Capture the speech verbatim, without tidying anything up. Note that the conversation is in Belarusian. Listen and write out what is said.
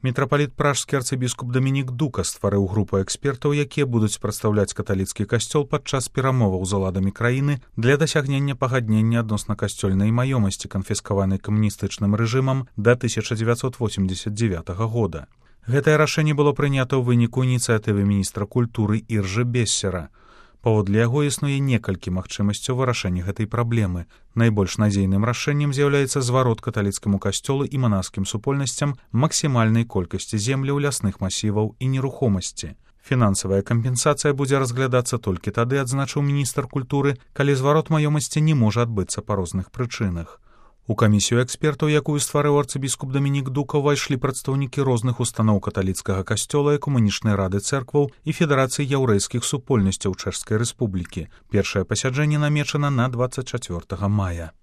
Мітрапаліт пражскі арцыбіскуп Дамінік Дука стварыў групу экспертаў, якія будуць прадстаўляць каталіцкі касцёл падчас перамоваў з уладамі краіны для дасягнення пагаднення адносна касцёльнай маёмасці, канфіскаванай камуністычным рэжымам да тысяча дзевяцьсот восемьдесят девятага года. Гэтае рашэнне было прынята ў выніку ініцыятывы міністра культуры Іржы Бессера. Паводле яго існуе некалькі магчымасцяў вырашэння гэтай праблемы. Найбольш надзейным рашэннем з'яўляецца зварот каталіцкаму касцёлу і манаскім супольнасцям максімальнай колькасці земляў, лясных масіваў і нерухомасці. Фінансавая кампенсацыя будзе разглядацца толькі тады, адзначыў міністр культуры, калі зварот маёмасці не можа адбыцца па розных прычынах. У камісію экспертаў, якую стварыў арцыбіскуп Дамінік Дука, увайшлі прадстаўнікі розных устаноў каталіцкага касцёла, экумэнічнай рады цэркваў і федэрацыі яўрэйскіх супольнасцяў Чэшскай рэспублікі. Першае пасяджэнне намечана на двадцать четвёртага мая.